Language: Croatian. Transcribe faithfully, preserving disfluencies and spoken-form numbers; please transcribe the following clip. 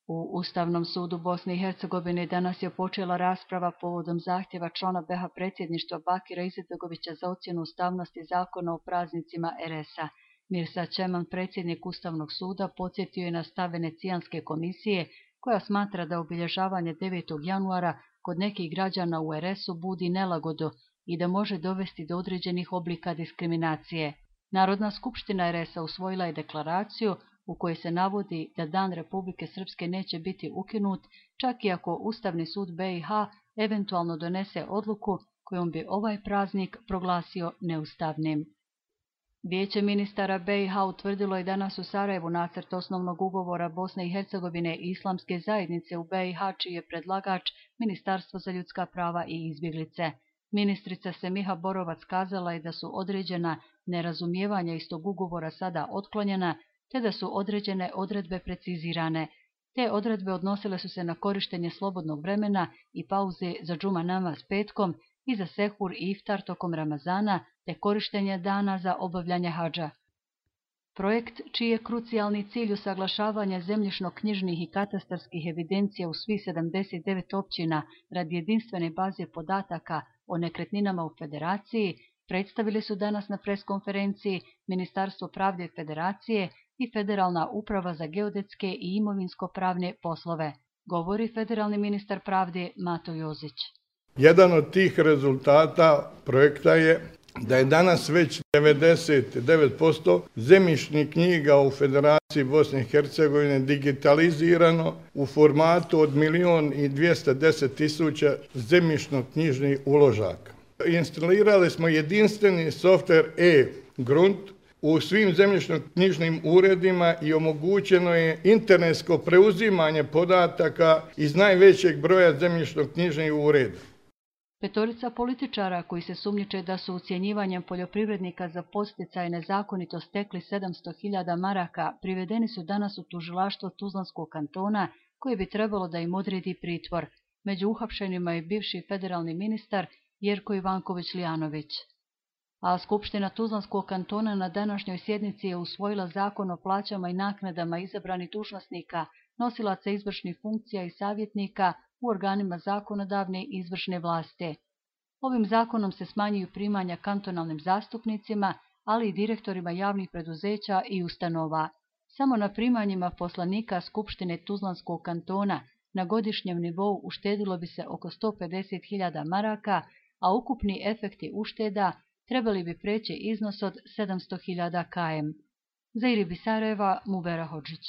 U Ustavnom sudu Bosne i Hercegovine danas je počela rasprava povodom zahtjeva člana B iH predsjedništva Bakira Izetbegovića za ocjenu ustavnosti zakona o praznicima er es a. Mirsa Čeman, predsjednik Ustavnog suda, podsjetio je na stav Venecijanske komisije koja smatra da obilježavanje devetog januara kod nekih građana u er es u budi nelagodu i da može dovesti do određenih oblika diskriminacije. Narodna skupština er es a usvojila je deklaraciju u kojoj se navodi da Dan Republike Srpske neće biti ukinut, čak i ako Ustavni sud B iH eventualno donese odluku kojom bi ovaj praznik proglasio neustavnim. Vijeće ministara B iH utvrdilo je danas u Sarajevu nacrt osnovnog ugovora Bosne i Hercegovine i Islamske zajednice u B iH, čiji je predlagač Ministarstvo za ljudska prava i izbjeglice. Ministrica Semiha Borovac kazala je da su određena nerazumijevanja iz tog ugovora sada otklonjena, te da su određene odredbe precizirane. Te odredbe odnosile su se na korištenje slobodnog vremena i pauze za džuma namaz petkom i za sehur i iftar tokom Ramazana, te korištenje dana za obavljanje hadža. Projekt, čiji je krucijalni cilj usaglašavanje zemljišno-knjižnih i katastarskih evidencija u svih sedamdeset devet općina radi jedinstvene baze podataka o nekretninama u Federaciji, predstavili su danas na preskonferenciji Ministarstvo pravde Federacije i Federalna uprava za geodetske i imovinsko-pravne poslove, govori federalni ministar pravde Mato Jozić. Jedan od tih rezultata projekta je da je danas već devedeset devet posto zemljišnih knjiga u Federaciji Bosne i Hercegovine digitalizirano u formatu od milijun i dvjesto deset tisuća zemljišno-knjižnih uložaka. Instalirali smo jedinstveni softver e-Grunt u svim zemljišno-knjižnim uredima i omogućeno je internetsko preuzimanje podataka iz najvećeg broja zemljišno-knjižnih ureda. Petorica političara koji se sumnjiče da su ucjenjivanjem poljoprivrednika za podsticaj nezakonito stekli sedamsto hiljada maraka privedeni su danas u tužilaštvo Tuzlanskog kantona koje bi trebalo da im odredi pritvor. Među uhapšenima je bivši federalni ministar Jerko Ivanković-Lijanović. A Skupština Tuzlanskog kantona na današnjoj sjednici je usvojila zakon o plaćama i naknadama izabranih dužnosnika, nosilaca izvršnih funkcija i savjetnika u organima zakonodavne i izvršne vlasti. Ovim zakonom se smanjuju primanja kantonalnim zastupnicima, ali i direktorima javnih preduzeća i ustanova. Samo na primanjima poslanika Skupštine Tuzlanskog kantona na godišnjem nivou uštedilo bi se oko sto pedeset hiljada maraka, a ukupni efekti ušteda trebali bi preći iznos od sedamsto hiljada km. Za Iribi Sarajeva, Mubera Hodžić.